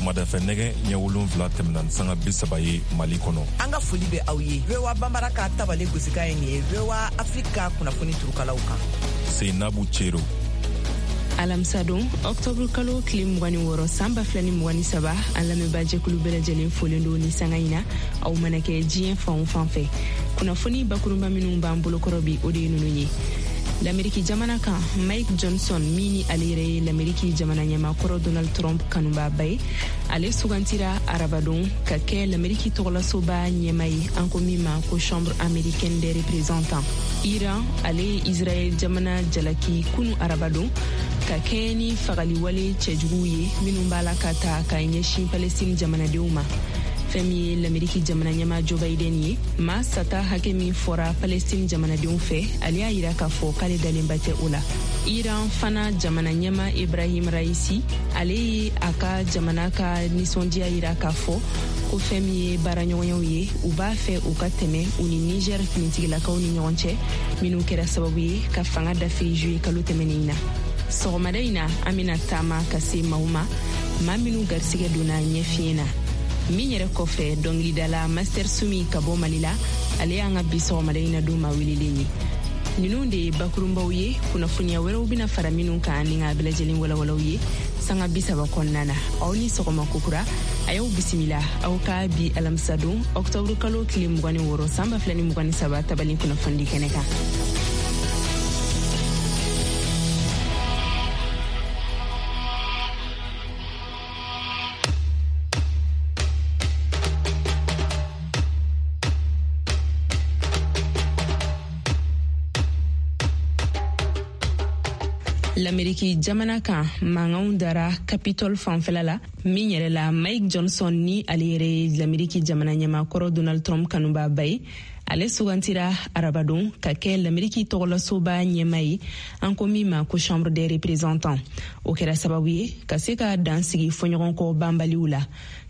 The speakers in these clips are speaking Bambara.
Sɔgɔmadafɛ nɛgɛ ɲɛ 7 tɛmɛna ni sanga 30 ye Mali kɔnɔ. An ka foli bɛ aw ye. VOA Banbara ka tabale gosikan ye nin ye VOA Afrique ka kunnafoni turukalaw kan. Seinabu Cero. Alamisadon, ɔktɔburu kalo tile 26 san 2023, an lamɛnbaajɛkulu bɛɛ lajɛlen folen don ni sanga in na, aw mana kɛ diɲɛ fan o fan fɛ. Kunnafoni bakurunba minnu b'an bolokɔrɔ bi, o de ye ninnu ye. Lameriki jamana kan, Mike Johnson, min ni ale yɛrɛ ye Lameriki jamana ɲɛmaakɔrɔ Donald Trump kanubaaba ye, ale sugantira arabadon ka kɛ Lameriki tɔgɔlasoba ɲɛma ye, an ko min ma ko Chambre américaine des représentants. Iran, ale ye Israɛl jamana jalaki kunu arabadon ka kɛɲɛ ni fagaliwale cɛjuguw ye minnu b'a la ka ta ka ɲɛsin Palestine jamanadenw ma. Fɛn min ye Lameriki jamana ɲɛmaa Joe Biden ye, maa sata hakɛ min fɔra Palestine jamanadenw fɛ, ale y'a yira k'a fɔ k'ale dalenba tɛ o la. Iran fana jamana ɲɛmaa Ibrahim Raisi, ale ye a ka jamana ka nisɔndiya yira k'a fɔ ko fɛn min ye baaraɲɔgɔnyaw ye, u b'a fɛ u ka tɛmɛ u ni Niger finitigilakaw ni ɲɔgɔn cɛ, minnu kɛra sababu ye ka fanga dafiri juillet kalo tɛmɛnen in na. Sɔgɔmada in na, an bɛna taama ka se maaw ma, maa minnu garisigɛ donna ɲɛfiɲɛ na. Min yɛrɛ kɔfɛ, dɔnkilidala Master Sumi ka bɔ Mali la, ale y'an ka bi sɔgɔmada in na don maa welelen ye. Ninnu de ye bakurunbaw ye, kunnafoniya wɛrɛw bɛna fara minnu kan ni k'a bɛɛ lajɛlen walawalaw ye sanga 30 kɔnɔna na. Aw ni sɔgɔma kokura, a y'aw bisimila aw ka bi alamisadon ɔktɔburu kalo tile 26 san 2023 tabali kunnafonidi kɛnɛ kan. Lameriki jamana kan, mankanw dara Capitol fanfɛla la, min yɛrɛ la Mike Johnson, ni ale yɛrɛ ye Lameriki jamana ɲɛmaakɔrɔ Donald Trump kanubaaba ye, ale sugantira arabadon ka kɛ Lameriki tɔgɔlasoba ɲɛma ye, an ko min ma ko Chambre des représentants. O kɛra sababu ye ka se ka dan sigi fɔɲɔgɔnkɔ banbaliw la.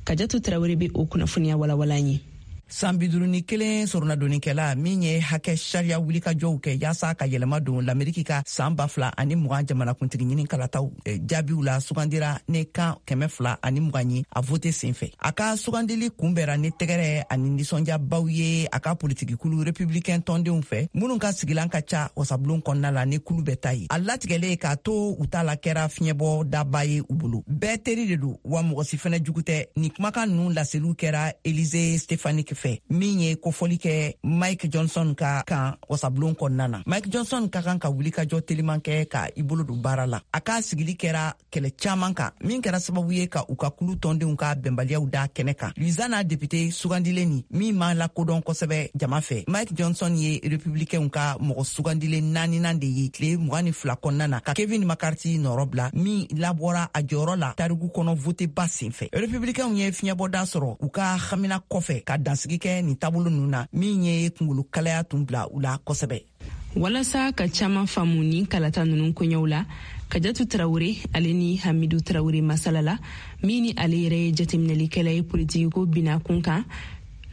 Kajatu Tarawele bɛ o kunnafoniya walawala ye. San 51 soronadonnikɛla min ye hakɛ sariya wulikajɔw kɛ yaasa ka yɛlɛma don Lameriki ka san 2020 jamanakuntigi ɲini kalataw jaabiw la, sugandira ni kan 220 ye a vote senfɛ. A ka sugandili kunbɛra ni tɛgɛrɛ ani nisɔndiyabaw ye a ka politikikulu republicain tɔndenw fɛ, minnu ka sigilan ka ca wasabulon kɔnɔna la ni kulu bɛɛ ta ye. A latigɛlen k'a to u ta la kɛra fiɲɛbɔ daba ye u bolo. Bɛɛ teri de don, wa mɔgɔ si fɛnɛ jugu tɛ. Nin kumakan ninnu laseliw kɛra Elise Stefanik fɛ, min ye kofɔli kɛ Mike Johnson ka kan wasabulon kɔnɔna na. Mike Johnson ka kan ka wulikajɔ teliman kɛ ka i bolo don baara la. A ka sigili kɛra kɛlɛ caman kan, min kɛra sababu ye ka u ka kulu tɔndenw ka bɛnbaliyaw da kɛnɛ kan. Louisiana député sugandilen ni min ma lakodɔn kosɛbɛ jama fɛ, Mike Johnson ye republicainw ka mɔgɔ sugandilen naaninan de ye tile 22 kɔnɔna na, ka Kevin McCarthy nɔrɔ bila, min labɔra a jɔyɔrɔ la tariku kɔnɔ voteba senfɛ. Republicainw ye fiɲɛbɔda sɔrɔ u ka hamina kɔfɛ ka dansigi kɛ nin taabolo ninnu na, min ye kungolo kalaya tun bila u la kosɛbɛ. Walasa ka caman faamu ni kalata ninnu koɲɛw la, Kajatu Tarawele ale ni Hamidu Tarawele masala la, min ni ale yɛrɛ ye jateminɛlikɛla ye politikiko bina kun kan,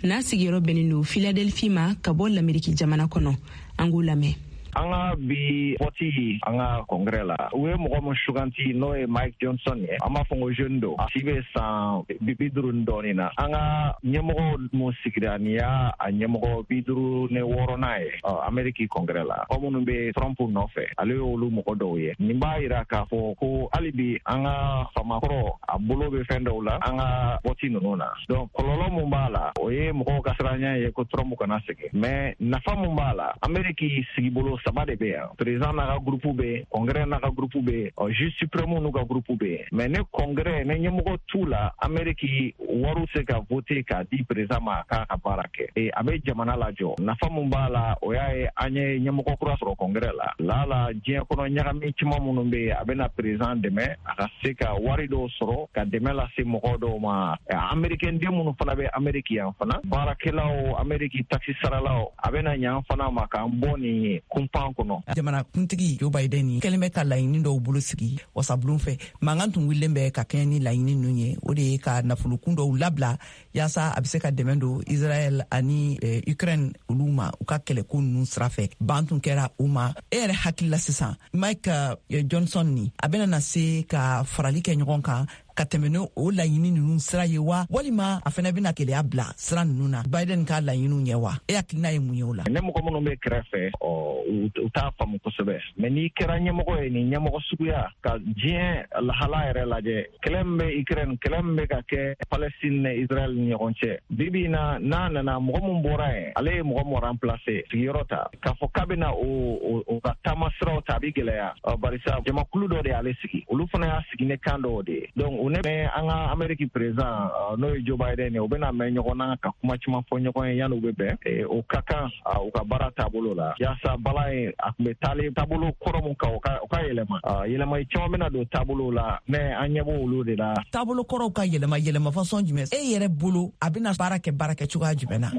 n'a sigiyɔrɔ bɛnnen don Philadelphie ma ka bɔ Lameriki jamana kɔnɔ. An k'o lamɛn. An ka bi vote an ka congrès la, u ye mɔgɔ min suganti, n'o ye Mike Johnson ye, an b'a fɔ ko jeune don, a si bɛ san 50 ni dɔɔnin na. An ka ɲɛmɔgɔ mun sigira, nin y'a a ɲɛmɔgɔ 56nan ye Ameriki congrès la. Mɔgɔ minnu bɛ Trump nɔfɛ, ale y'olu mɔgɔ dɔw ye. Nin b'a yira k'a fɔ ko hali bi an ka famakɔrɔ a bolo bɛ fɛn dɔw la an ka vote ninnu na. Donc kɔlɔlɔ mun b'a la, o ye mɔgɔw ka siranya ye ko Trump kana segin, mais nafa mun b'a la, Ameriki sigibolo saba de bɛ yan. Président n'a ka groupe bɛ yen, congrès n'a ka groupe bɛ yen, juge suprême n'u ka groupe bɛ yen. Mais ne congrès ne ɲɛmɔgɔ t'u la, Ameriki wariw se ka voter k'a di président ma k'a ka baara kɛ. Et a bɛ jamana lajɔ. Nafa mun b'a la, o y'a ye an ye ɲɛmɔgɔ kura sɔrɔ congrès la. La diɲɛ kɔnɔ ɲagami caman minnu bɛ yen, a bɛna président dɛmɛ a ka se ka wari dɔw sɔrɔ ka dɛmɛ lase mɔgɔ dɔw ma. Américain den minnu fana bɛ Amérique yan fana, baarakɛlaw, Amérique taxe saralaw, a bɛna ɲan fana ma k'an bɔ nin kunpan kɔnɔ. Jamana kuntigi Joe Biden ni kɛlen bɛ ka laɲini dɔw bolo sigi wasabulon fɛ. Mankan tun wulilen bɛ ka kɛɲɛ ni laɲini ninnu ye, o de ye ka nafolokun dɔw labila yaasa a bɛ se ka dɛmɛ don Israël ani Ukraine olu ma u ka kɛlɛko ninnu sira fɛ. Ban tun kɛra u ma. E yɛrɛ hakili la sisan, Mike Johnson ni a bɛna na se ka farali kɛ ɲɔgɔn kan ka tɛmɛ ni o laɲini ninnu sira ye wa, walima a fana bɛna gɛlɛya bila sira ninnu na Biden ka laɲiniw ɲɛ wa? E hakilina ye mun ye o la? Ne mɔgɔ minnu bɛ kɛrɛfɛ, u t'a faamu kosɛbɛ, mais n'i kɛra ɲɛmɔgɔ ye, nin ɲɛmɔgɔ suguya ka diɲɛ lahala yɛrɛ lajɛ, kɛlɛ min bɛ Ukraine, kɛlɛ min bɛ ka kɛ Palestine ni Israël ni ɲɔgɔn cɛ bi bi in na, n'a nana mɔgɔ min bɔra yen, ale ye mɔgɔ min remplacer, sigiyɔrɔ ta, k'a fɔ k'a bɛna o ka taama siraw ta, a bɛ gɛlɛya, barisa jamakulu dɔ de y'ale sigi, olu fana y'a sigi ne kan dɔw de ye. Donc u ne an ka Amérique président, n'o ye Joe Biden ye, u bɛna mɛn ɲɔgɔn na ka kuma caman fɔ ɲɔgɔn ye yanni u bɛ bɛn. O ka kan u ka baara taabolo la, yaasa balan ye a tun bɛ taalen taabolo kɔrɔ mun kan, o ka yɛlɛma. Yɛlɛma caman bɛna don taabolo la, mais an ɲɛ b'olu de la. Taabolo kɔrɔw ka yɛlɛma, yɛlɛma façon jumɛn? E yɛrɛ bolo, a bɛna baara kɛ baara kɛ cogoya jumɛn na?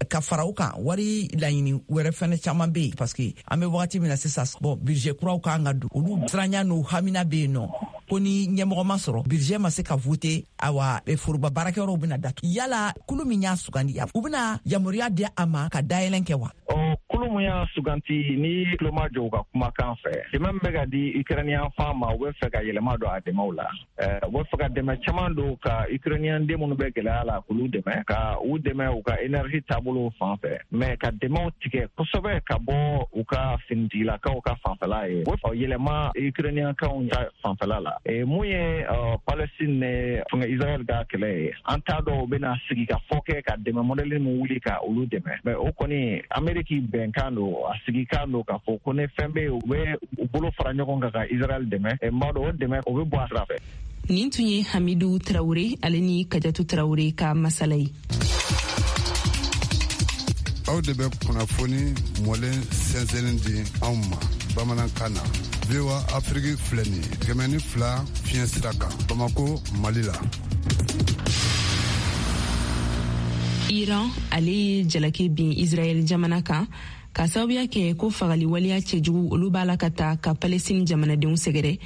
Ka fara o kan, wari laɲini wɛrɛ fɛnɛ caman bɛ yen, parce que an bɛ wagati min na sisan, bon, budget kuraw kan ka don, olu siranya n'o hamina bɛ yen nɔ, ko ni ɲɛmɔgɔ ma sɔrɔ, budget ma se ka voter, awa, foroba baarakɛyɔrɔw bɛna datugu. Yala kulu min y'a sugandi, u bɛna yamaruya di a ma ka dayɛlɛn kɛ wa? Kulu mun y'a suganti, ni tulo ma jɔ u ka kumakan fɛ, dɛmɛ min bɛ ka di Ukrainien fan ma, u bɛ fɛ ka yɛlɛma don a dɛmɛw la. U bɛ fɛ ka dɛmɛ caman don ka Ukrainien den minnu bɛ gɛlɛya la, k'olu dɛmɛ, ka u dɛmɛ u ka énergie taabolo fan fɛ, mais ka dɛmɛw tigɛ kosɛbɛ ka bɔ u ka finitigilakaw ka fanfɛla ye, o yɛlɛma Ukrainien kaw ka fanfɛla la. Mun ye Palestine ni fɛngɛ Israël ka kɛlɛ ye, an t'a dɔn u bɛna sigi ka fɔ kɛ ka dɛmɛ modèle min wuli ka olu dɛmɛ, mais o kɔni, Amérique bɛnkan don, a sigikan don k'a fɔ ko ni fɛn bɛ yen, u bɛ u bolo fara ɲɔgɔn kan ka Israël dɛmɛ. N b'a dɔn o dɛmɛ, o bɛ bɔ a sira fɛ. Nin tun ye Hamidu Tarawure, ale ni Kajatu Tarawure ka masala ye. Aw de bɛ kunnafoni mɔlen sɛnsɛnni di anw ma bamanankan na. VOA Afiriki filɛ nin ye, 102 fiɲɛ sira kan, Bamako, Mali la. Iran, ale ye jalaki bin Israɛl jamana kan ka sababuya kɛ ko fagali waleya cɛjugu olu b'a la ka ta ka Palestine jamanadenw sɛgɛrɛ.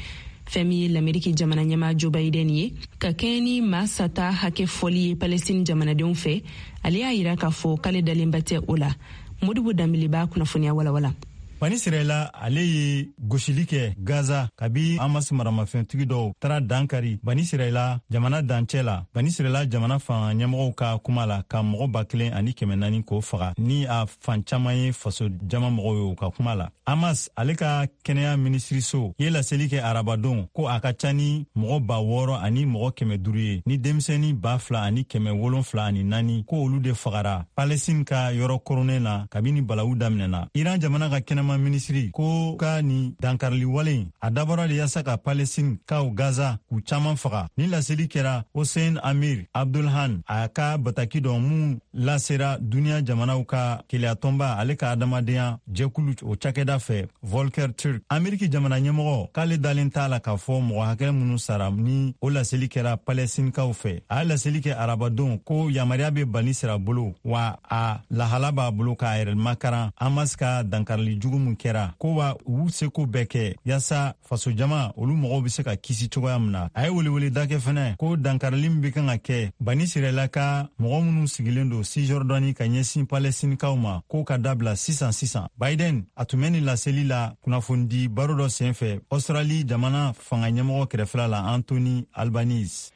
Fɛn min ye Lameriki jamana ɲɛma Joe Biden ye, ka kɛɲɛ ni maa sata hakɛ fɔli ye Palestine jamanadenw fɛ, ale y'a yira k'a fɔ k'ale dalenba tɛ o la. Modibo Danbele b'a kunnafoniya walawala. Bani Sirɛla, ale ye gosili kɛ Gaza kabi Hamas maramafɛntigi dɔw taara dankari Bani Sirɛla jamana dancɛ la. Bani Sirɛla jamana fanga ɲɛmɔgɔw ka kuma la, ka mɔgɔ 1400 k'o faga, ni a fan caman ye faso jama mɔgɔw ye, u ka kuma la. Hamas, ale ka kɛnɛya minisiriso ye laseli kɛ arabadon ko a ka ca ni mɔgɔ 6500 ye, ni denmisɛni 2774, ko olu de fagara Palestine ka yɔrɔ koronnen na kabini balawu daminɛna. Iran jamana ka kɛnɛma minisiri ko ka nin dankarili wale, a dabɔra de yaasa ka Palestine kaw Gaza k'u caman faga. Ni laseli kɛra Hossein Amir Abdulhan, a ka bataki dɔ mun lasera duniɲa jamanaw ka keleyatɔnba, ale ka adamadenya jɛkulu o cakɛda fɛ, Volker Turk. Ameriki jamana ɲɛmɔgɔ k'ale dalen t'a la k'a fɔ mɔgɔ hakɛ minnu sara ni o laseli kɛra Palɛstinikaw fɛ. A ye laseli kɛ arabadon ko yamaruya bɛ Bani Sira bolo, wa a lahala b'a bolo k'a yɛrɛ makaran Hamas ka dankarili jugu min kɛra, ko wa u seko bɛɛ kɛ yaasa fasojama olu mɔgɔw bɛ se ka kisi cogoya min na. A ye weleweleda kɛ fɛnɛ ko dankarili min bɛ kan ka kɛ Bani Sirɛla ka mɔgɔ minnu sigilen don Cisjordanie ka ɲɛsin Palɛstinikaw ma, k'o ka dabila sisan sisan. Biden, a tun bɛ nin laseli la kunnafonidi baro dɔ senfɛ Australie jamana fanga ɲɛmɔgɔ kɛrɛfɛla la, Anthony Albanese.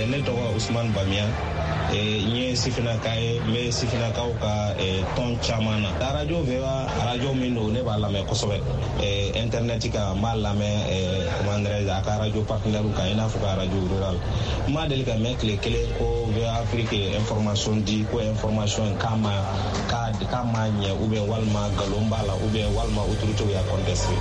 Ne tɔgɔ Usman Bamiya, n ye sifinnaka ye, n bɛ sifinnakaw ka tɔn caman na. Arajo VOA, arajo min don, ne b'a lamɛn kosɛbɛ internet kan, n b'a lamɛn, comment dirais-je, a ka arajo partenaire kan, i n'a fɔ ka arajo rural. N ma deli ka mɛn tile kelen ko VOA Afrique ye information di, ko information k'a ma k'a ma ɲɛ, ou bien walima nkalon b'a la, ou bien walima autorité y'a contesté.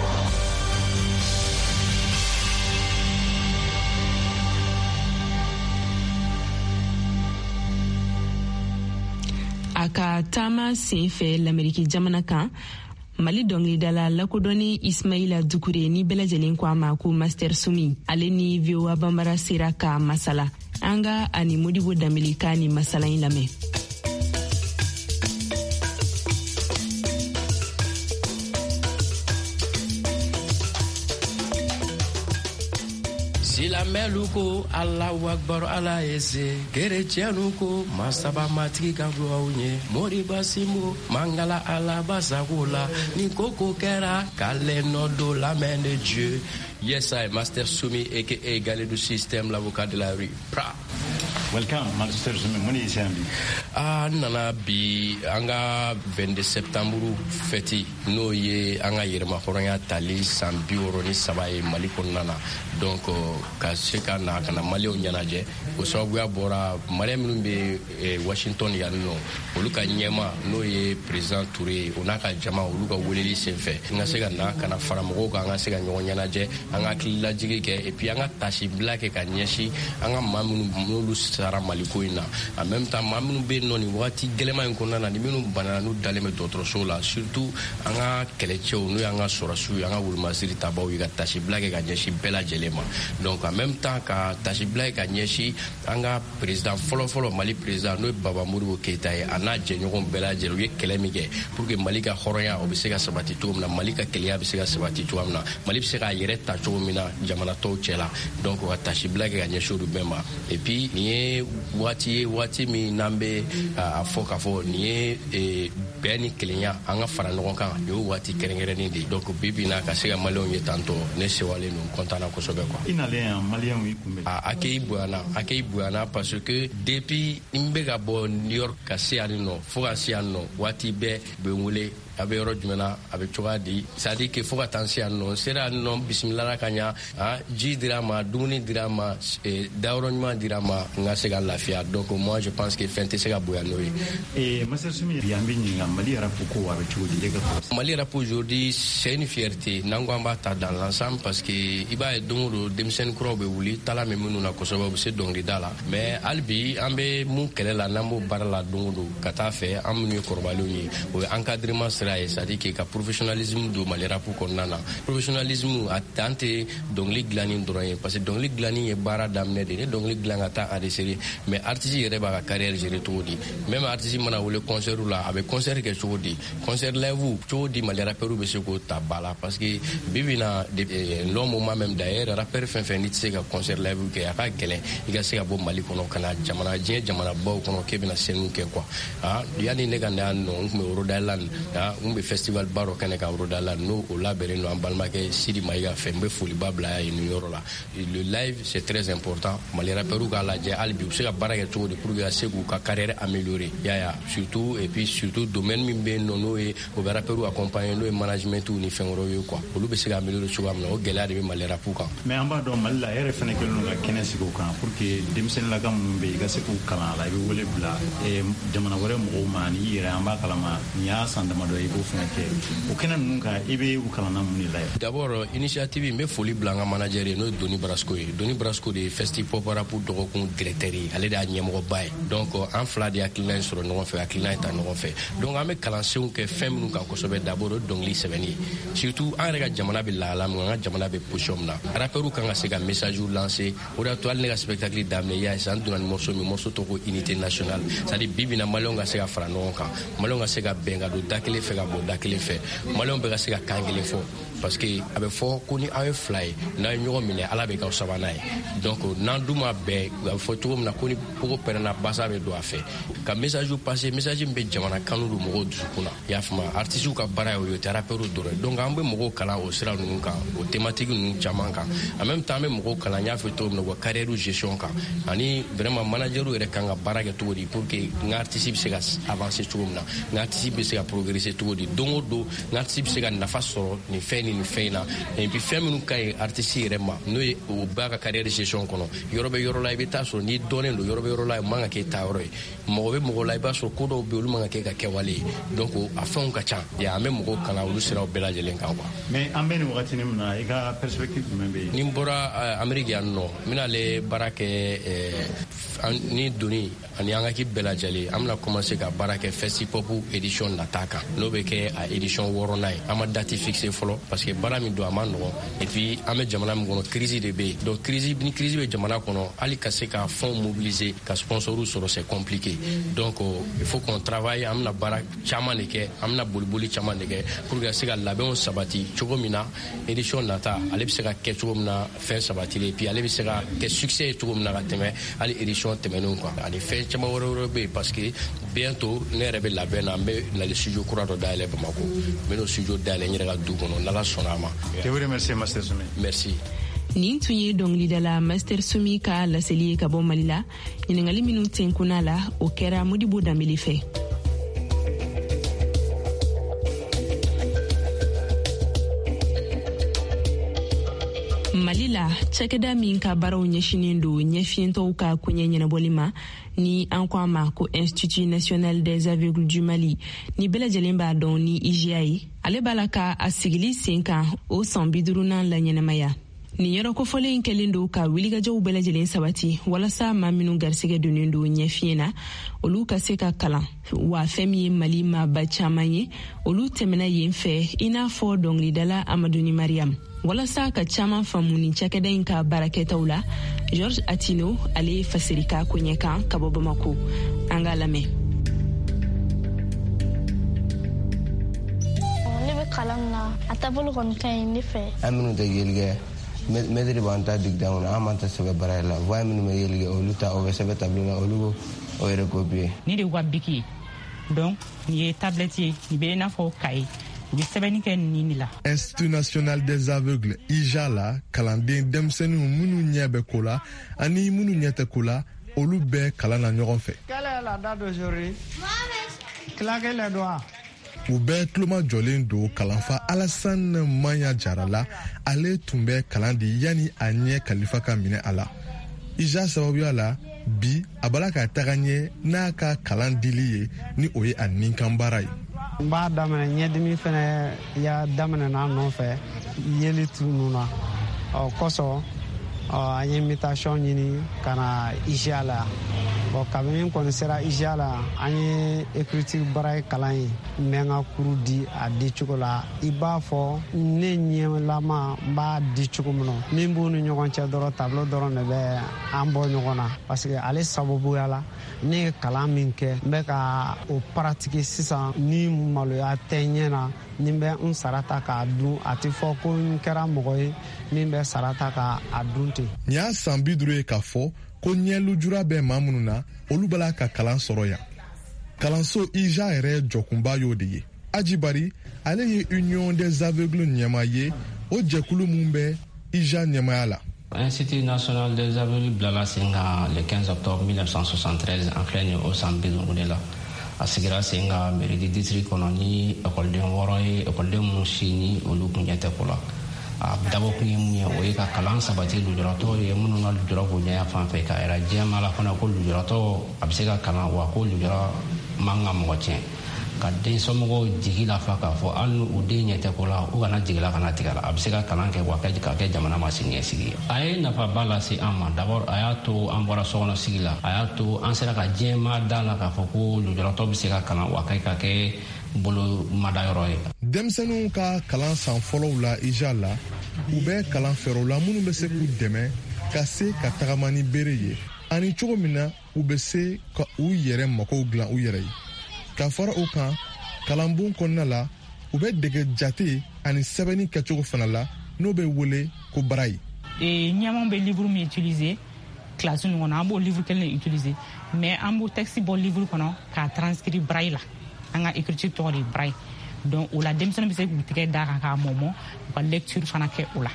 A ka taama sen fɛ Lameriki jamana kan, Mali dɔngilidala lakodɔnni Ismaila Dukure, ni bɛɛ lajɛlen ko a ma ko Master Sumi, ale ni VOA Banbara sera ka masala. An ka ani Modibo Danbele ka ni masala in lamɛn. Silamɛlu ko Alahu akbar, Ala ye se. Kerecɛnu ko masaba matigi ka dugawu ɲɛ. Moriba Simbo mangala Ala sago la. Ni koko kɛra k'ale nɔ don la main de Dieu. Yes, I, Master Soumi, aka Galedou System, l'avocat de la rue. Pra. Welcome, Master Soumi. Mun de y'i se yan bi? Ah, n nana bi an ka 22 septembre fête, n'o ye an ka yɛrɛmahɔrɔnya tali san 63 ye Mali kɔnɔna na. Donc ka se ka na ka na Maliyɛnw ɲɛnajɛ, o sababuya bɔra Maliyɛn minnu bɛ Washington yan nɔ, olu ka ɲɛma, n'o ye président Touré ye, o n'a ka jama, olu ka weleli senfɛ, n ka se ka na ka na fara mɔgɔw kan, an ka se ka ɲɔgɔn ɲɛnajɛ, an ka hakililajigi kɛ, et puis an ka tasibila kɛ ka ɲɛsin an ka maa minnu n'olu sara Maliko in na. En même temps, maa minnu bɛ yen nɔ nin wagati gɛlɛman in kɔnɔna na, ni minnu banana, n'u dalen bɛ dɔgɔtɔrɔso la, surtout an ka kɛlɛcɛw, n'o y'an ka sɔrɔsiw ye, an ka wolomasiri tabaw ye, ka tasibila kɛ ka ɲɛsin bɛɛ lajɛlen ma. Donc en même temps, ka tasibila kɛ ka ɲɛsin an ka président fɔlɔ-fɔlɔ, Mali président, n'o ye Baba Modibo Keyita ye, a n'a jɛɲɔgɔn bɛɛ lajɛlen, u ye kɛlɛ min kɛ pour que Mali ka hɔrɔnya o bɛ se ka sabati cogo min na, Mali ka kelenya bɛ se ka sabati cogo min na, Mali bɛ se k'a yɛrɛ ta cogo min na jamana tɔw cɛ la. Donc ka tasibila kɛ ka ɲɛsin olu bɛɛ ma. Et puis nin ye waati ye, waati min n'an bɛ a fɔ k'a fɔ nin ye bɛn ni kelenya, an ka fara ɲɔgɔn kan, nin y'o waati kɛrɛnkɛrɛnnen de ye. Donc bi bi in na, ka se ka Maliyɛnw ye tantɔ, ne sewalen don, content na kosɛbɛ quoi. I nalen yan, Maliyɛnw y'i kunbɛn? A accueil bonyana, accueil bonyana, parce que depuis n bɛ ka bɔ New York ka se yan nɔ, fo ka se yan nɔ, waati bɛɛ u bɛ n wele: a bɛ yɔrɔ jumɛn na, a bɛ cogoya di? C'est à dire que fo ka taa n se yan nɔ, n sera yan nɔ, bisimila ka ɲa, ji dira ma, dumuni dira ma, dayɔrɔ ɲuman dira ma, n ka se ka lafiya. Donc moi, je pense que fɛn tɛ se ka bonya n'o ye. Master Soumi, bi an bɛ ɲininka, Mali rap ko a bɛ cogo di, e ka fɔ? Mali rap aujourd'hui, c'est une fierté, n'an ko an b'a ta dans l'ensemble, parce que i b'a ye, don o don denmisɛnnin kuraw bɛ wuli, tala min minnu na kosɛbɛ, u bɛ se dɔnkilida la. Mais hali bi an bɛ mun kɛlɛ la, n'an b'o baara la don o don ka taa fɛ, an minnu ye kɔrɔbalenw ye, o ye encadrement sira ye, c'est à dire que ka professionnalisme don Mali rap kɔnɔna na. Professionnalisme a dan tɛ dɔnkili dilanni dɔrɔn ye, parce que dɔnkili dilanni ye baara daminɛ de ye. Ni dɔnkili dilan ka taa enregistrer, mais artiste yɛrɛ b'a ka carrière gérer cogo di? Même artiste mana wele concert la, a bɛ concert kɛ cogo di? Concert live cogo di? Mali rappeur bɛ se k'o ta ba la? Parce que bi bi na, long moment même d'ailleurs, rappeur fɛn fɛn n'i tɛ se ka concert live kɛ, a ka gɛlɛn i ka se ka bɔ Mali kɔnɔ ka na jamana diɲɛ jamanabaw kɔnɔ k'e bɛna scène kɛ quoi. Ah, yanni ne ka na yan nɔ, n tun bɛ Rhode Island, ah, n bɛ festival ba dɔ kɛnɛ kan Rhode Island, n'o o labɛnnen don an balimakɛ Sidi Mayiga fɛ. N bɛ foliba bila yen nin yɔrɔ la. Le live, c'est très important. Mali rappeur k'a lajɛ hali bi, u bɛ se ka baara kɛ cogo di pour que ka se k'u ka carrière améliorer, ya ya, surtout, et puis surtout domaine min bɛ yen nɔ, n'o ye o bɛ rappeur accompagner, n'o ye management ni fɛn wɛrɛw ye quoi, olu bɛ se ka améliorer cogoya min na. O gɛlɛya de bɛ Mali rap kan. Mais an b'a dɔn, Mali la, e yɛrɛ fɛnɛ kɛlen don ka kɛnɛ sigi o kan pour que denmisɛnninlaka minnu bɛ yen, i ka se k'u kalan a la. I bɛ wele bila jamana wɛrɛ mɔgɔw ma ni i yɛrɛ, an b'a kalama nin y'a san damadɔ ye, i b'o fɛnɛ kɛ o kɛnɛ ninnu kan. I bɛ u kalanna mun de la ye? D'abord, initiative, n bɛ foli bila an ka manager ye, n'o ye Doni Brasco ye. Doni Brasco de ye Festi Pop Rap dɔgɔkun directeur ye, ale de y'a ɲɛmɔgɔba ye. Donc an fila de hakilina in sɔrɔ ɲɔgɔn fɛ, hakilina in ta ɲɔgɔn fɛ. Donc an bɛ kalansenw kɛ fɛn minnu kan kosɛbɛ, d'abord o ye dɔnkili sɛbɛnni ye. Surtout an yɛrɛ ka jamana bɛ lahala min, an ka jamana bɛ position min na, rappeurs kan ka se ka message lancer. O de y'a to hali ne ka spectacle daminɛ, i y'a ye sisan, n donna ni morceau min, morceau tɔgɔ ko unité nationale, c'est à dire bi bi na, Maliyɛnw ka se ka fara ɲɔgɔn kan, Maliyɛnw ka se ka bɛn ka don da kelen fɛ, ka bɔ da kelen fɛ, Maliyɛnw bɛɛ ka se ka kan kelen fɔ, parce que a bɛ fɔ ko ni aw ye fila ye, n'a ye ɲɔgɔn minɛ, Ala bɛ k'aw sabanan ye. Donc n'an dun ma bɛn, a bɛ fɔ cogo min na ko ni pogo pɛrɛnna, basa bɛ don a fɛ. Ka message passer, message min bɛ jamana kanu don mɔgɔw dusukun na, i y'a faamu? Artistes ka baara ye o ye, o tɛ rappeurs dɔrɔn ye. Donc an bɛ mɔgɔw kalan o sira ninnu kan, o thématique ninnu caman kan. En même temps, an bɛ mɔgɔw kalan, n y'a fɔ cogo min na, u ka carrière gestion kan, ani vraiment manager yɛrɛ kan ka baara kɛ cogo di pour que n ka artiste bɛ se ka avancer cogo min na, n ka artiste bɛ se ka progresser cogo di, don o don n ka artiste bɛ se ka nafa sɔrɔ nin fɛn ni nin fɛn in na, et puis fɛn minnu ka ɲi artiste yɛrɛ ma, n'o ye o b'a ka carrière gestion kɔnɔ. Yɔrɔ bɛ yɔrɔ la, i bɛ taa sɔrɔ n'i dɔnnen don, yɔrɔ bɛ yɔrɔ la, o man ka kɛ ta yɔrɔ ye. Mɔgɔ bɛ mɔgɔ la, i b'a sɔrɔ ko dɔw bɛ yen, olu man ka kɛ ka kɛwale ye. Donc a fɛnw ka ca ya, an bɛ mɔgɔw kalan olu siraw bɛɛ lajɛlen kan quoi. Mais an bɛ nin wagatinin min na, i ka perspective jumɛn bɛ yen? Ni n bɔra Amérique yan nɔ, n bɛna ale baara kɛ. Ni Doni ani an ka équipe bɛɛ lajɛlen, an bɛna commencer ka baara kɛ Festipop édition nata kan, n'o bɛ kɛ a édition 6nan ye. An ma date fixé fɔlɔ parce que baara min don, a ma nɔgɔn. Et puis an bɛ jamana min kɔnɔ, crise de bɛ yen. Donc crise ni crise bɛ jamana kɔnɔ, hali ka se ka fonds mobiliser, ka sponsors sɔrɔ, c'est compliqué. Donc il faut qu'on travaille. An bɛna baara caman de kɛ, an bɛna boliboli caman de kɛ pour que ka se ka labɛnw sabati cogo min na, édition nata ale bɛ se ka kɛ cogo min na fɛn sabatilen, et puis ale bɛ se ka kɛ succès ye cogo min na ka tɛmɛ hali édition tɛmɛnenw kan. Ani fɛn caman wɛrɛ wɛrɛ bɛ yen, parce que bientôt ne yɛrɛ bɛ labɛn na, n bɛ nali studio kura dɔ dayɛlɛ Bamakɔ. N bɛ n'o studio dayɛlɛ n yɛrɛ ka du kɔnɔ, n'Ala sɔnna a ma. Je vous remercie, Master Soumi. Merci. Nin tun ye dɔngilidala Master Soumi ka laseli ye ka bɔ Mali la. Ɲiningali minnu tenkunna la, o kɛra Modibo Danbele fɛ. Mali la, cakɛda min ka baaraw ɲɛsinen don ɲɛfiyentɔw ka koɲɛ ɲɛnabɔli ma, ni an ko a ma ko Institut national des aveugles du Mali, ni bɛɛ lajɛlen b'a dɔn ni IJA ye, ale b'a la ka a sigili sen kan o san 50nan laɲɛnamaya. Nin yɔrɔ kofɔlen kɛlen don ka wulikajɔw bɛɛ lajɛlen sabati walasa maa minnu garisɛgɛ donnen don ɲɛfiɲɛ na, olu ka se ka kalan. Wa fɛn min ye Mali maaba caman ye, olu tɛmɛna yen fɛ, i n'a fɔ dɔngilidala Amaduni Mariam. Walasa ka caman faamu nin cakɛda in ka baarakɛtaw la, Georges Atino, ale ye fasiri ka koɲɛ kan ka bɔ Bamako. An k'a lamɛn. Ne bɛ kalan na, a taabolo kɔni ka ɲi ne fɛ. An minnu tɛ yeli kɛ, mɛtiri b'an ta dictée kɔnɔ, an b'an ta sɛbɛn baara la. Voix minnu bɛ yeli kɛ, olu ta o bɛ sɛbɛn tableau la, olu b'o recopier. Ni de y'u ka bic ye. Donc nin ye tablette ye, nin bɛ i n'a fɔ cahier, u bɛ sɛbɛnni kɛ nin de la. Institut national des aveugles, IJA la, kalanden denmisɛnninw minnu ɲɛ bɛ ko la ani minnu ɲɛ tɛ ko la, olu bɛɛ kalan na ɲɔgɔn fɛ. Quelle est la date d'aujourd'hui? Claquez les doigts. U bɛɛ tulomajɔlen don kalanfa Alassane Maya Jara la. Ale tun bɛ kalan di yanni a ɲɛ kalifa ka minɛ a la. IJA sababuya la, bi a bala ka taga ɲɛ n'a ka kalan dili ye, ni o ye a ninkan baara ye. N b'a daminɛ, ɲɛdimi fɛnɛ ya daminɛ n'a nɔfɛ, yeli tununa. Ɔ kosɔn an ye mutation ɲini ka na IJA la. Bon, kabini n kɔni sera IJA la, an ye écriture braille kalan ye. N bɛ n ka cours di a di cogo la i b'a fɔ ne ɲɛlama n b'a di cogo min na. Min b'u ni ɲɔgɔn cɛ dɔrɔn, tableau dɔrɔn de bɛ an bɔ ɲɔgɔn na, parce que ale sababuya la ne ye kalan min kɛ, n bɛ ka o pratiquer sisan. Ni maloya tɛ ɲɛ na, ni n bɛ n sara ta k'a dun, a tɛ fɔ ko n kɛra mɔgɔ ye min bɛ sara ta k'a dun ten. Nin y'a san 50 ye k'a fɔ ko ɲɛlujura bɛ maa minnu na, olu b'a la ka kalan sɔrɔ yan. Kalanso IJA yɛrɛ jɔkunba y'o de ye. Aji Bari, ale ye Union des aveugles ɲɛmaa ye, o jɛkulu mun bɛ IJA ɲɛmaaya la. Institut national des aveugles bilala sen kan le 15 octobre 1973. An filɛ nin o san 50 de la. A sigira sen kan mairie du district kɔnɔ ni ekɔliden 6 ye, ekɔliden minnu si ni olu kun ɲɛ tɛ ko la. A dabɔkun ye mun ye? O ye ka kalan sabati lujuratɔw ye minnu ka lujura b'u ɲɛ fan fɛ, k'a yira diɲɛmaa la fana ko lujuratɔ a bɛ se ka kalan, wa ko lujura man ka mɔgɔ tiɲɛ, ka den somɔgɔw jigi lafa k'a fɔ hali n'u den ɲɛ tɛ ko la, u kana jigila kana tigɛ la, a bɛ se ka kalan kɛ, wa ka kɛ jamana ma siniɲɛsigi ye. A ye nafaba lase an ma. D'abord, a y'a to an bɔra sokɔnɔ sigi la, a y'a to an sera ka diɲɛmaa da la k'a fɔ ko lujuratɔ bɛ se ka kalan, wa ka kɛ bolo madayɔrɔ ye. Denmisɛnninw ka kalan san fɔlɔw la IJA la, u bɛ kalan fɛɛrɛw la minnu bɛ se k'u dɛmɛ ka se ka tagama ni bere ye, ani cogo min na u bɛ se ka u yɛrɛ makow dilan u yɛrɛ ye. Ka fara o kan, kalanbon kɔnɔna la, u bɛ dege jate ani sɛbɛnni kɛcogo fana la, n'o bɛ wele ko braille. Ɲɛmaw bɛ livre min utiliser classe ninnu kɔnɔ, an b'o livre kelen de utiliser, mais an b'o texte bɔ livre kɔnɔ k'a transcrire braille la. An ka écriture tɔgɔ de ye braille. Donc o la, denmisɛnnin bɛ se k'u tɛgɛ d'a kan k'a mɔmɔ, u ka lecture fana kɛ o la.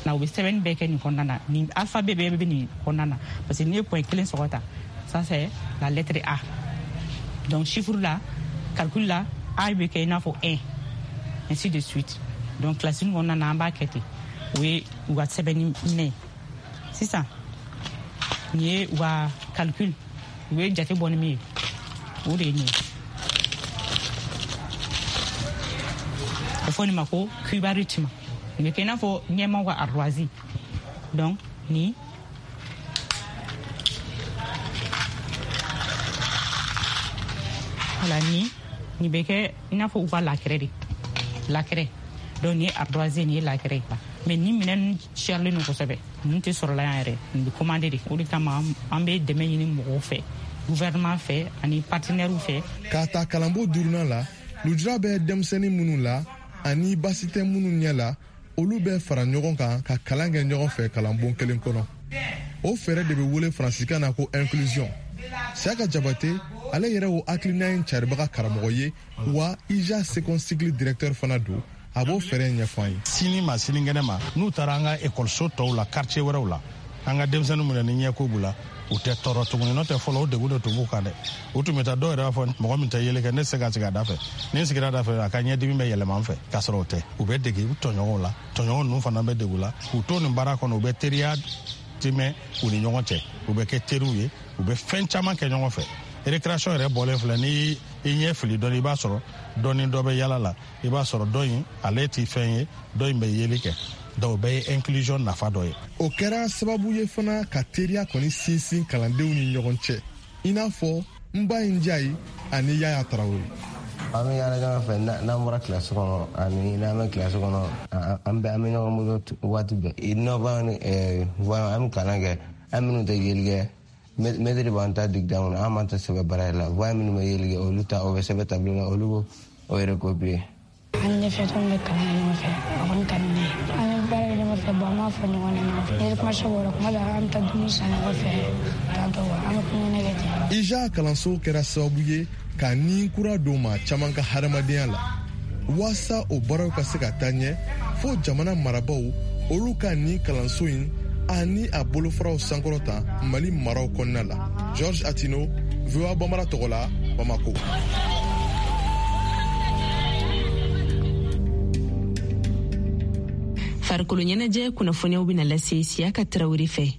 Na u bɛ sɛbɛnni bɛɛ kɛ nin kɔnɔna na. Nin alphabet bɛɛ bɛ nin kɔnɔna na, parce que n'i ye point kelen sɔgɔ ta, ça c'est la lettre A. Donc chiffre la, calcul la, A bɛ kɛ i n'a fɔ 1, ainsi de suite. Donc classe kɔnɔna na, an b'a kɛ ten. O ye u ka sɛbɛnni minɛ ye. Sisan nin ye u ka calcul, u ye jate bɔ ni min ye, o de ye nin ye. A bɛ fɔ nin ma ko cubaritme. Nin bɛ kɛ i n'a fɔ ɲɛmaw ka ardoise. Donc nin Wala nin bɛ kɛ i n'a fɔ u ka la craie de, la craie. Donc nin ye ardoise, nin ye la craie. Mais ni minɛn ninnu sɛrilen don kosɛbɛ, ninnu tɛ sɔrɔla yan yɛrɛ, nin bɛ commandé de. O de kama an bɛ dɛmɛ ɲini mɔgɔw fɛ, gouvernement fɛ ani partenaires fɛ. K'a ta kalanbon duurunan la, lujura bɛ denmisɛnnin minnu la ani baasi tɛ minnu ɲɛ la, olu bɛ fara ɲɔgɔn kan ka kalan kɛ ɲɔgɔn fɛ kalanbon kelen kɔnɔ. O fɛɛrɛ de bɛ wele faransikan na ko inclusion. Siyaka Jabate, ale yɛrɛ o hakilina in caribaga karamɔgɔ ye, wa IJA second cycle directeur fana don. A b'o fɛɛrɛ ɲɛfɔ an ye. Sini ma sinikɛnɛ ma, n'u taara an ka ekɔliso tɔw la, quartier wɛrɛw la, an ka denmisɛnnin minɛ ni ɲɛko b'u la, u tɛ tɔɔrɔ tuguni. N'o tɛ, fɔlɔ o degun de tun b'u kan dɛ. U tun bɛ taa, dɔw yɛrɛ b'a fɔ mɔgɔ min tɛ yeli kɛ, ne tɛ se ka sigi a da fɛ, ni n sigira a da fɛ, a ka ɲɛdimi bɛ yɛlɛma n fɛ. K'a sɔrɔ o tɛ, u bɛ dege u tɔɲɔgɔnw la, tɔɲɔgɔn ninnu fana bɛ degu la k'u to nin baara kɔnɔ. U bɛ teriya timɛ u ni ɲɔgɔn cɛ, u bɛ kɛ teriw ye, u bɛ fɛn caman kɛ ɲɔgɔn fɛ. Récréation yɛrɛ bɔlen filɛ, ni i ɲɛ fili dɔɔni, i b'a sɔrɔ dɔ ni dɔ bɛ yala la, i b'a sɔrɔ dɔ in ale ti fɛn ye, dɔ in bɛ yeli kɛ. Donc o bɛɛ ye inclusion nafa dɔ ye. O kɛra sababu ye fana ka teriya kɔni sinsin kalandenw ni ɲɔgɔn cɛ, i n'a fɔ Nba Njayi ani Yaya Tarawele. An bɛ yaala ɲɔgɔn fɛ n'an bɔra kilasi kɔnɔ ani n'an bɛ kilasi kɔnɔ, an bɛɛ an bɛ ɲɔgɔn bolo waati bɛɛ. Nɔba ni an bɛ kalan kɛ, an minnu tɛ yeli kɛ, mɛtiri b'an ta dictée kɔnɔ, an b'an ta sɛbɛn braille la. Voyant minnu bɛ yeli kɛ, olu ta o bɛ sɛbɛn tableau la, olu b'o o yɛrɛ copier. An ni ɲɛfiyɛtɔ bɛ kalan kɛ ɲɔgɔn fɛ, a kɔni ka di ne ye. An bɛ baara kɛ ɲɔgɔn fɛ, bon, an b'a fɔ ɲɔgɔn ɲɛna. Ni récréation bɔra, kuma dɔ an bɛ taa dumuni san ɲɔgɔn fɛ, tantɔ an bɛ kulonkɛ kɛ ten. IJA kalanso kɛra sababu ye ka ni kura don maa caman ka hadamadenya la. Waasa o baaraw ka se ka taa ɲɛ, fo jamana marabaw olu ka nin kalanso in ani a bolofaraw sankɔrɔta Mali maraw kɔnɔna la. George Atino, VOA Bambara tɔgɔ la, Bamako. Farikolo ɲɛnajɛ kunnafoniyaw bɛna lase Siyaka Tarawele fɛ.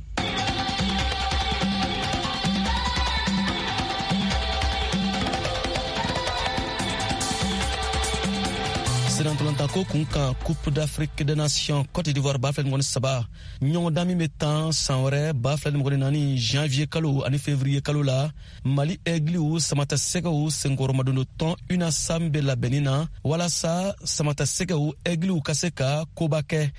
Sennantolatan kun kan, Coupe d'Afrique des Nations Côte d'Ivoire 2023 ɲɔgɔndan min bɛ tan san wɛrɛ 2024 janvier kalo ani février kalo la, Mali Aigliw Samatasɛgɛw senkɔrɔmadondo tɔn UNASAM bɛ labɛnni na walasa Samatasɛgɛw Aigliw ka se ka koba kɛ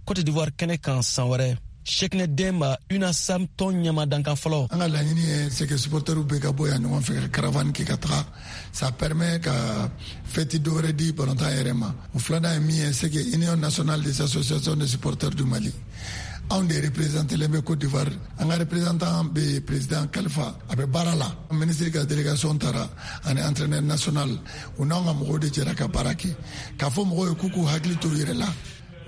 Côte d'Ivoire kɛnɛ kan san wɛrɛ. Cheickna Demba, UNASAM tɔn ɲɛma dankan fɔlɔ. An ka laɲini ye, c'est que supporters bɛɛ ka bɔ yan ɲɔgɔn fɛ ka caravane kɛ ka taga. Ça permet ka fête dɔ wɛrɛ di balontan yɛrɛ ma. O filanan ye min ye, c'est que Union nationale des associations de supporters du Mali, anw de représenté bɛ Côte d'Ivoire. An ka représentant bɛ président Kalifa, a bɛ baara la. Ministre ka délégation taara ani entraîneur national, u n'anw ka mɔgɔw de jɛra ka baara kɛ, k'a fɔ mɔgɔw ye k'u k'u hakili to u yɛrɛ la.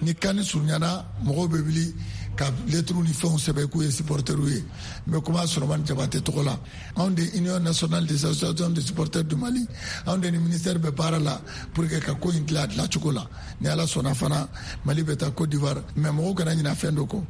Ni CAN surunyana, mɔgɔw bɛ wuli ka lettres ni fɛnw sɛbɛn k'u ye supporters ye. N bɛ kuma Solomani Jabate tɔgɔ la. Anw de Union nationale des associations de supporters du Mali, anw de ni ministère bɛ baara la pour que ka ko in dilan a dilancogo la. Ni Ala sɔnna fana, Mali bɛ taa Côte d'Ivoire, mais mɔgɔw kana ɲinɛ fɛn dɔ kɔ: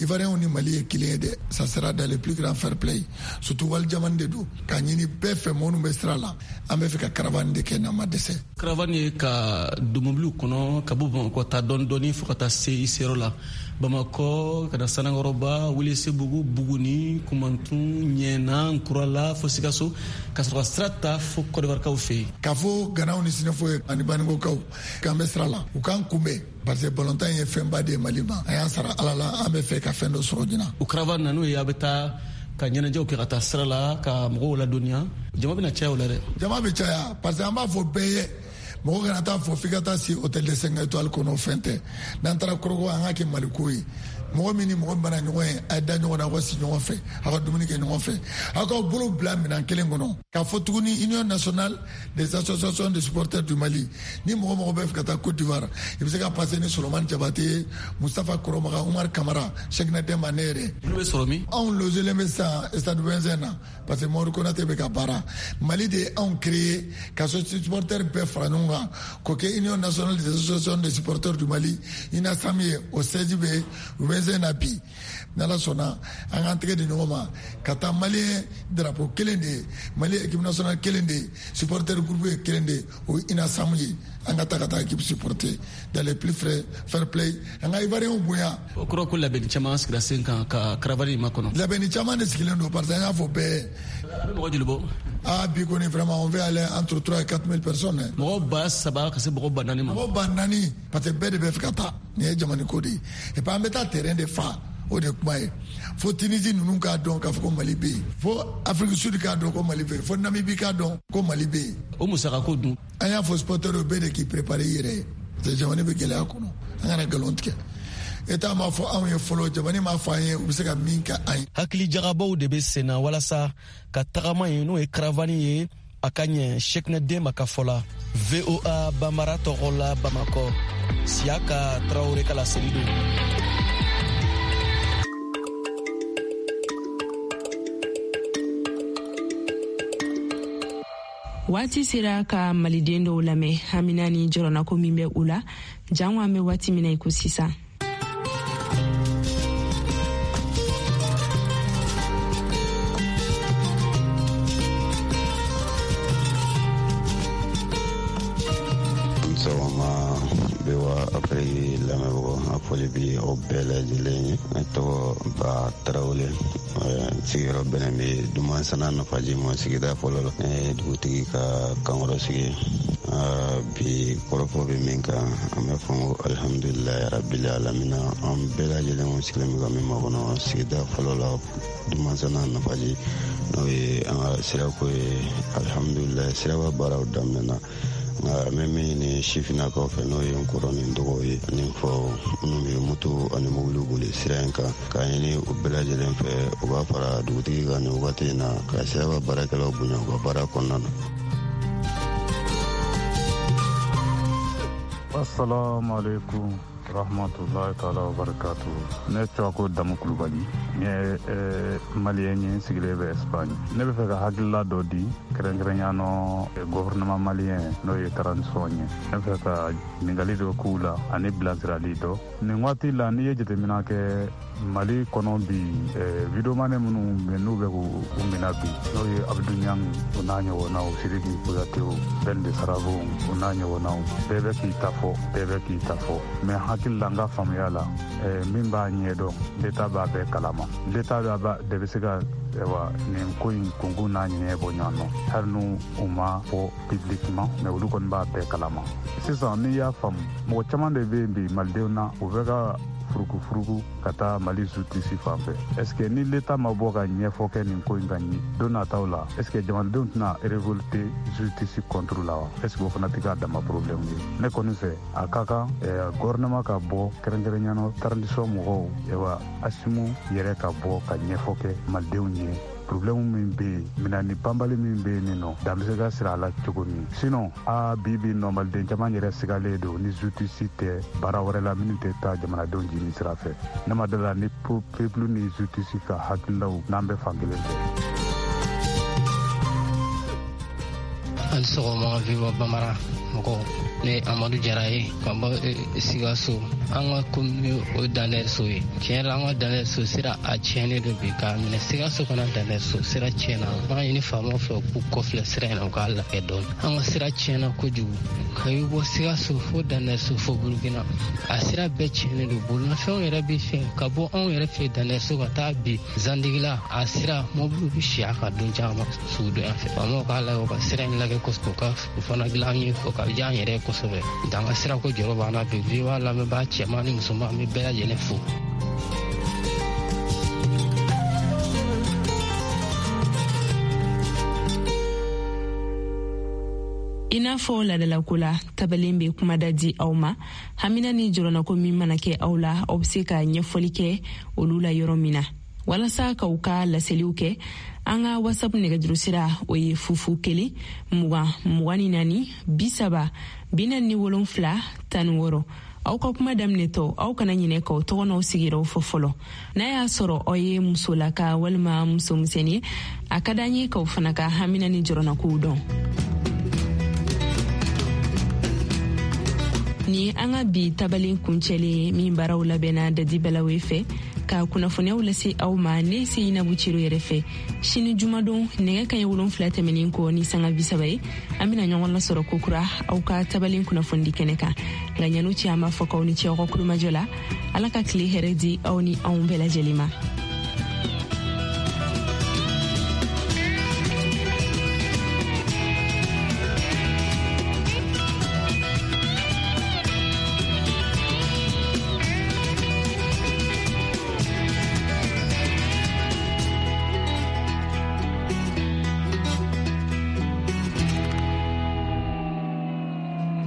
Ivoiriens ni Mali ye kelen ye dɛ. Ça sera dans le plus grand fair play, surtout wali jamana de don. K'a ɲini bɛɛ fɛ, minnu bɛ sira la, an bɛ fɛ ka caravane de kɛ n'an ma dɛsɛ. Caravane ye ka don mobiliw kɔnɔ ka bɔ Bamakɔ taa dɔɔni dɔɔni fo ka taa se i seyɔrɔ la, Bamakɔ ka na Sanankɔrɔba, Welesebugu, Buguni, Kumantun, Ɲɛna, Nkurala, fo Sikaso, ka sɔrɔ ka sira ta fo Kɔdiwarikaw fɛ yen. K'a fɔ Ganaw ni Sinafɔ ye ani Baninkokaw k'an bɛ sira la, u k'an kunbɛn, parce que balontan ye fɛnba de ye Mali ma. A y'an sara Ala la, an bɛ fɛ ka fɛn dɔ sɔrɔ ɲinan. O caravane na, n'o ye a bɛ taa ka ɲɛnajɛw kɛ ka taa sira la ka mɔgɔw ladɔnniya, jama bɛna caya o la dɛ. Jama bɛ caya, parce que an b'a fɔ bɛɛ ye, mɔgɔ kana taa fɔ f'i ka taa si hôtel de 5 étoiles kɔnɔ, fɛn tɛ. N'an taara Korhogo, an ka kɛ Maliko ye. Mɔgɔ min ni mɔgɔ min mana ɲɔgɔn ye, a ye da ɲɔgɔn na, aw ka si ɲɔgɔn fɛ, aw ka dumuni kɛ ɲɔgɔn fɛ, aw k'aw bolo bila minɛn kelen kɔnɔ. K'a fɔ tuguni, Union nationale des associations de supporters du Mali, ni mɔgɔ mɔgɔ bɛ fɛ ka taa Côte d'Ivoire, i bɛ se ka passer ni Solomani Jabate ye, Mustafa Kɔrɔmaga, Umar Kamara, Cheickna Demba, ne yɛrɛ. Olu bɛ sɔrɔ min? Anw logelen bɛ sisan stade Ouezzin na, parce que Mamadu Konate bɛ ka baara. Mali de ye anw créé ka supporters bɛɛ fara ɲɔgɔn kan k'o kɛ Union nationale des associations de supporters du Mali, UNASAM ye. O siège bɛ Ouezzin na bi. N'Ala sɔnna, an k'an tɛgɛ di ɲɔgɔn ma ka taa. Malien drapeau kelen de ye, Mali équipe nationale kelen de ye, supporter groupe ye kelen de ye, o ye UNASAM ye. An ka taa ka taa équipe supporter dans les plus frais fair play, an ka Ivoiriens bonya. O kɔrɔ ko labɛnni caman sigira sen kan ka caravane in makɔnɔ. Labɛnni caman de sigilen don, parce que an y'a fɔ bɛɛ. A bɛ mɔgɔ joli bɔ? Ah, bi kɔni, vraiment, on veut aller entre 3 et 4 000 personnes. Mɔgɔ 3000 ka se mɔgɔ 4000 ma. Mɔgɔ 4000, parce que bɛɛ de bɛ fɛ ka taa. Nin ye jamana ko de ye. Et puis an bɛ taa terrain de fa, o de ye kuma ye. Fo Tunisie ninnu k'a dɔn k'a fɔ ko Mali bɛ yen, fo Afrique Sud k'a dɔn ko Mali bɛ yen, fo Namibie k'a dɔn ko Mali bɛ yen. O musakako dun? An y'a fɔ supporter bɛɛ de k'i préparer i yɛrɛ ye, parce que jamana bɛ gɛlɛya kɔnɔ, an kana nkalon tigɛ. État m'a fɔ anw ye fɔlɔ, jamana m'a fɔ an ye u bɛ se ka min kɛ an ye. Hakili jagabɔw de bɛ sen na walasa ka tagama ye, n'o ye caravane ye, a ka ɲɛ. Cheickna Demba ka fɔ la, VOA Bambara tɔgɔ la, Bamakɔ, Siyaka Tarawele ka laseli don. Waati sera ka maliden dɔw lamɛn, hamina ni jɔrɔnako min bɛ u la jango an bɛ waati min na i ko sisan. Sɔgɔma VOA Afiriki lamɛnbagaw, a foli bi aw bɛɛ lajɛlen ye. Ne tɔgɔ Ba Tarawele, sigiyɔrɔ bɛnnen bɛ Dumansana Nafaji ma, sigida fɔlɔ la. Ne ye dugutigi ka kankɔrɔ sigi. Bi kɔrɔfɔ bɛ min kan, an bɛ fɔ ko alihamudulilayi rabili alamina. An bɛɛ lajɛlen sigilen bɛ ka min makɔnɔ sigida fɔlɔ la, Dumansana Nafaji, n'o ye an ka sirako ye. Alihamudulilayi, siraba baaraw daminɛna, nka an bɛ min ɲini sifinnakaw fɛ, n'o ye n kɔrɔ ni n dɔgɔw ye ani n faw minnu bɛ moto ani mobiliw boli sira in kan, k'a ɲini u bɛɛ lajɛlen fɛ u ka fara dugutigi kan nin wagati in na ka siraba baarakɛlaw bonya u ka baara kɔnɔna na. Assalamu alaikum rahmatullahi taala wa barakatu. Ne tɔgɔ ko Damu Kulubali, n ye maliyɛn ye, n sigilen bɛ Espagne. Ne bɛ fɛ ka hakilila dɔ di, kɛrɛnkɛrɛnya nɔ gouvernement malien, n'o ye transition ye. Ne bɛ fɛ ka ɲininkali dɔ k'u la ani bilasirali dɔ. Nin waati la, n'i ye jateminɛ kɛ Mali kɔnɔ bi, videomane minnu bɛ n'u bɛ k'u minɛ bi, n'o ye Abdou Niang o n'a ɲɔgɔnnaw, Sidiki Kouyaté, Ben de Sarabo o n'a ɲɔgɔnnaw, bɛɛ bɛ k'i ta fɔ, bɛɛ bɛ k'i ta fɔ. Mais hakili la, n ka faamuya la, min b'a ɲɛdɔn, l'État b'a bɛɛ kalama. L'État de bɛ se ka nin ko in kunkun n'a ɲɛ bɔ ɲɔgɔn nɔ, hali n'u u ma fɔ publiquement, mais olu kɔni b'a bɛɛ kalama. Sisan n'i y'a faamu, mɔgɔ caman de bɛ yen bi malidenw na, u bɛ ka furukufuruku ka taa Mali justice fan fɛ. Est ce que ni l'État ma bɔ ka ɲɛfɔ kɛ nin ko in ka ɲi don nataw la, est ce que jamanadenw tɛna révolter justice contre la wa? Est ce que o fana tɛ k'a dama problème ye? Ne kɔni fɛ, a ka kan gouvernement ka bɔ, kɛrɛnkɛrɛnya na transition mɔgɔw, Assimi yɛrɛ ka bɔ ka ɲɛfɔ kɛ malidenw ye, problème min bɛ yen, minɛni banbali min bɛ yen nin nɔ, dan bɛ se ka siri a la cogo min. Sinon a bi bi nɔ, maliden caman yɛrɛ sigalen don ni justice tɛ baara wɛrɛ la minnu tɛ taa jamanadenw jini sira fɛ. Ne ma dala ni peuple ni justice ka hakililaw n'an bɛ fan kelen fɛ. Hali sɔgɔma VOA Bambara mɔgɔw, ne ye Amadu Jara ye ka bɔ Sikaso. An ka commune o Danɛriso ye. Tiɲɛ la, an ka Danɛriso sira a tiɲɛnen don bi, k'a minɛ Sikaso kana Danɛriso sira tiɲɛna. An b'a ɲini faamaw fɛ u k'u kɔfilɛ sira in na, u k'a lajɛ dɔɔni. An ka sira tiɲɛna kojugu, ka i bɔ Sikaso fo Danɛriso fo Burukina, a sira bɛɛ tiɲɛnen don. Bolimafɛnw yɛrɛ bɛ fɛn ka bɔ anw yɛrɛ fɛ Danɛriso ka taa bi Zandigila, a sira mɔbiliw bɛ si a kan don caman sugudonya fɛ. Faamaw k'a lajɛ, u ka sira in lajɛ kosɛbɛ, u ka o fana dilan an ye, o ka diya an yɛrɛ ye kosɛbɛ. An ka sira ko jɔrɔ b'an na bi. VOA lamɛnbaa cɛman ni musoman, an bɛ bɛɛ lajɛlen fo. I n'a fɔ ladalako la, tabalen bɛ kumada di aw ma. Hamina ni jɔrɔnako min mana kɛ aw la, aw bɛ se ka ɲɛfɔli kɛ olu la yɔrɔ min na. Walasa k'aw ka laseliw kɛ, an ka WhatsApp nɛgɛjuru sira o ye 0 0 20 24 30 47 16. Aw ka kuma daminɛtɔ, aw kana ɲinɛ k'aw tɔgɔ n'aw sigiyɔrɔw fɔ fɔlɔ. N'a y'a sɔrɔ aw ye musolaka walima musomisɛnnin ye, a ka d'an ye k'aw fana ka hamina ni jɔrɔnakow dɔn. Ni an ka bi tabalen kuncɛlen ye, min baaraw labɛnna Dadi Balawe fɛ. Ka kunnafoniyaw lase aw ma, ne Seyinabu Cero yɛrɛ fɛ. Sini jumadon, nɛgɛ kaɲɛ 7 tɛmɛnin kɔ ni sanga 30 ye, an bena ɲɔgɔn lasɔrɔ kokura aw ka tabalen kunnafonidi kɛnɛ kan. Nka ɲan'o cɛ, an b'a fɔ k'aw ni ce aw ka kulomajɔ la. Ala ka tile hɛrɛ di aw ni anw bɛɛ lajɛlen ma.